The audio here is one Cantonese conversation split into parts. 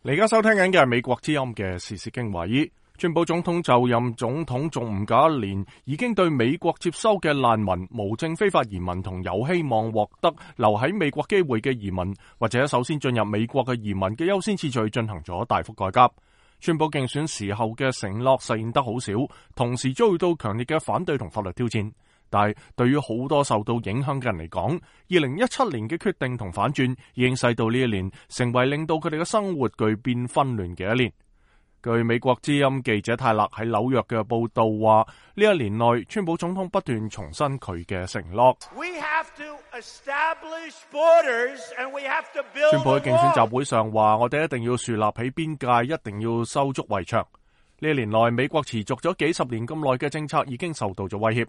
你而家收聽緊嘅係美國之音嘅時事經華爾。川普總統就任總統仲唔夠一年，已經對美國接收嘅難民、無證非法移民同有希望獲得留喺美國機會嘅移民，或者首先進入美國嘅移民嘅優先次序進行咗大幅改革。川普競選時候嘅承諾實現得好少，同時遭遇到強烈嘅反對同法律挑戰。但係對於好多受到影響嘅人嚟講，2017年嘅決定同反轉已經使到呢一年成為令到佢哋嘅生活巨變紛亂嘅一年。據美國之音記者泰勒喺紐約嘅報道話，呢一年內川普總統不斷重申佢嘅承諾。川普喺競選集會上話，我哋一定要樹立起邊界，一定要修築圍牆。呢一年內，美國持續咗幾十年咁耐嘅政策已經受到咗威脅。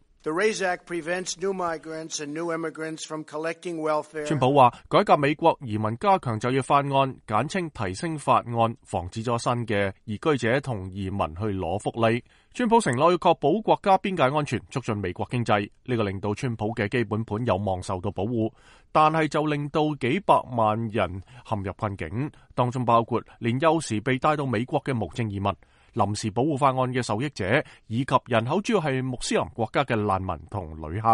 川普話，改革美國移民，加強就業法案，簡稱提升法案，防止咗新嘅移居者同移民去攞福利。川普承諾要確保國家邊界安全，促進美國經濟，呢個令到川普嘅基本盤有望受到保護，但係就令到幾百萬人陷入困境，當中包括年幼時被帶到美國嘅無證移民、臨時保護法案嘅受益者，以及人口主要係穆斯林國家嘅難民同旅客。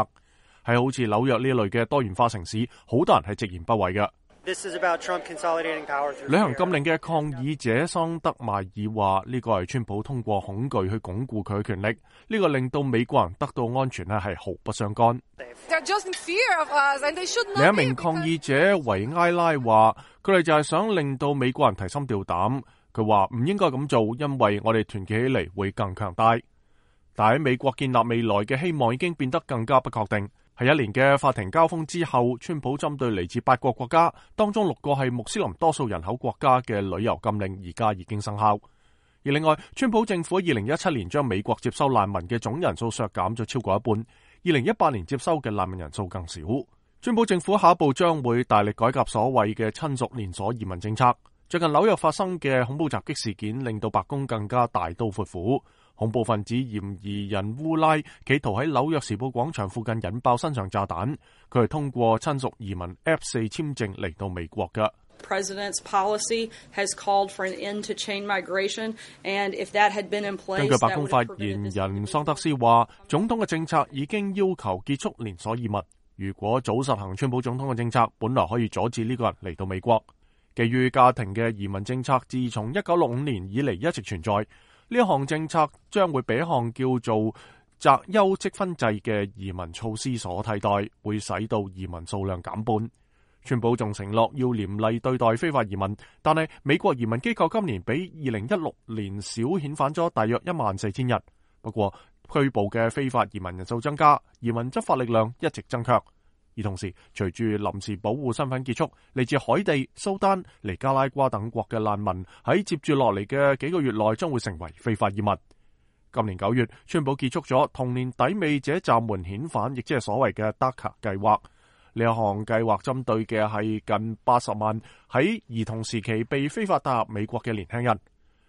喺好似紐約呢類嘅多元化城市，好多人係直言不諱嘅。旅行禁令嘅抗議者桑德邁爾話，呢個係川普通過恐懼去鞏固佢嘅權力，呢個令到美國人得到安全係毫不相干。另一名抗議者維埃拉話，佢哋就係想令到美國人提心吊膽。佢話唔應該咁做，因為我哋團結起嚟會更強大。但喺美國建立未來嘅希望已經變得更加不確定。喺一年嘅法庭交鋒之後，川普針對嚟自8個國家，當中6個係穆斯林多數人口國家嘅旅遊禁令，而家已經生效。而另外，川普政府喺2017年將美國接收難民嘅總人數削減咗超過一半，2018年接收嘅難民人數更少。川普政府下一步將會大力改革所謂嘅親屬連鎖移民政策。最近紐約發生嘅恐怖襲擊事件令到白宮更加大刀闊斧，恐怖分子嫌疑人烏拉企圖喺紐約時報廣場附近引爆身上炸彈，佢係通過親屬移民 F4 簽證嚟到美國嘅。根據白宮發言人桑德斯話，總統嘅政策已經要求結束連鎖移民，如果早實行川普總統嘅政策，本來可以阻止呢個人嚟到美國。基於家庭嘅移民政策自從1965年以嚟一直存在，呢一項政策將會被一項叫做擇優積分制嘅移民措施所替代，會使到移民數量減半。川普仲承諾要嚴厲對待非法移民，但係美國移民機構今年比2016年少遣返咗大約14000人。不過拘捕嘅非法移民人數增加，移民執法力量一直增強。而同時，隨住臨時保護身份結束，嚟自海地、蘇丹、尼加拉瓜等國嘅難民喺接住落嚟嘅幾個月內將會成為非法移民。今年9月，川普結束咗同年抵美者暫緩遣返，亦即係所謂嘅 DACA 計劃。呢一項計劃針對嘅係近80萬喺兒童時期被非法帶入美國嘅年輕人。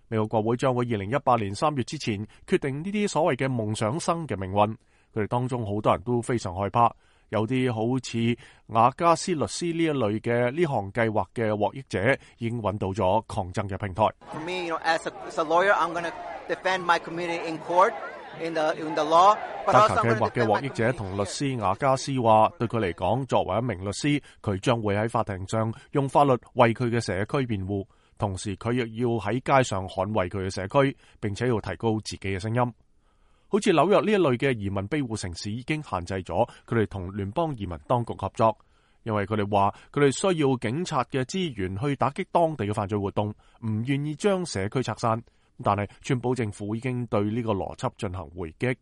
美國國會將會2018年3月之前決定呢啲所謂嘅夢想生嘅命運。佢哋當中好多人都非常害怕。有啲好似雅加斯律師呢一類嘅呢項計劃嘅獲益者已經揾到咗抗爭嘅平台。DACA計劃嘅獲益者同律師雅加斯話，對佢嚟講，作為一名律師，佢將會喺法庭上用法律為佢嘅社區辯護，同時佢亦要喺街上捍衛佢嘅社區，並且要提高自己嘅聲音。好似紐約呢一類嘅移民庇護城市已經限制咗佢哋同聯邦移民當局合作，因為佢哋話佢哋需要警察嘅資源去打擊當地嘅犯罪活動，唔願意將社區拆散。但係川普政府已經對呢個邏輯進行回擊。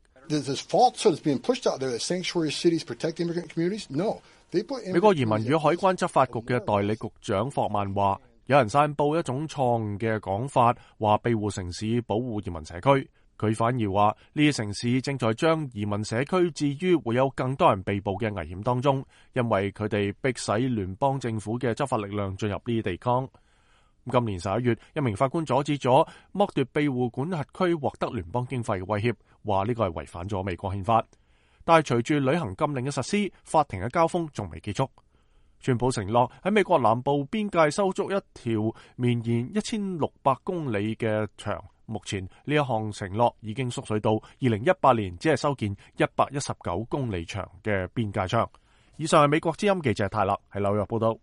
美國移民與海關執法局嘅代理局長霍曼話，有人散佈一種錯誤嘅講法，話庇護城市保護移民社區。佢反而話呢啲城市正在將移民社區置於會有更多人被捕嘅危險當中，因為佢哋迫使聯邦政府嘅執法力量進入呢啲地方。今年11月，一名法官阻止咗剝奪庇護管轄區獲得聯邦經費嘅威脅，話呢個係違反咗美國憲法。但係隨住旅行禁令嘅實施，法庭嘅交鋒仲未結束。川普承諾喺美國南部邊界修築一條綿延1600公里嘅牆。目前呢一項承諾已經縮水到2018年只係修建119公里長嘅邊界牆。以上係美國之音記者泰勒喺紐約報道。